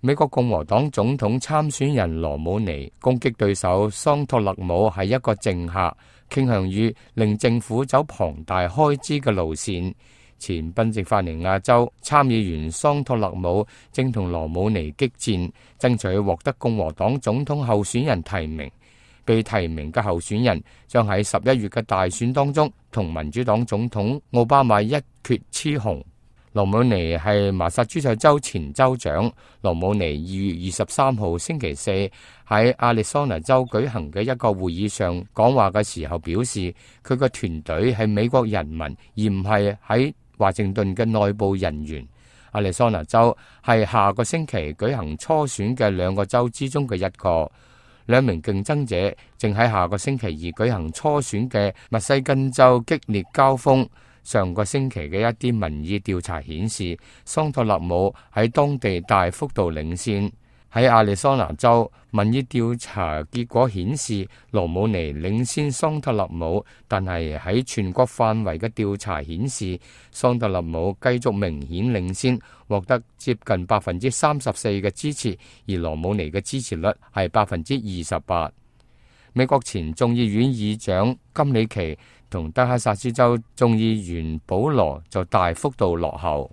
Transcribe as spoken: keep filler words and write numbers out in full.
美國共和黨總統參選人羅姆尼攻擊對手桑托勒姆係一個政客，傾向於令政府走龐大開支嘅路線。前賓夕法尼亞州參議員桑托勒姆正同羅姆尼激戰，爭取獲得共和黨總統候選人提名。被提名嘅候選人將喺十一月嘅大選當中同民主黨總統奧巴馬一決雌雄。羅姆尼係麻薩諸塞州前州長。羅姆尼二月二十三號星期四喺亞利桑那州舉行嘅一個會議上講話嘅時候表示，佢個團隊係美國人民，而唔係喺華盛頓嘅內部人員。亞利桑那州係下個星期舉行初選嘅兩個州之中嘅一個。兩名競爭者正喺下個星期二舉行初選嘅密西根州激烈交鋒。上個星期嘅一啲民意調查顯示，桑托勒姆喺當地大幅度領先。喺亞利桑那州，民意調查結果顯示羅姆尼領先桑托勒姆，但係喺全國範圍嘅調查顯示，桑托勒姆繼續明顯領先，獲得接近百分之三十四嘅支持，而羅姆尼嘅支持率係百分之二十八。美國前眾議院議長金里奇同德克薩斯州眾議員保羅就大幅度落後。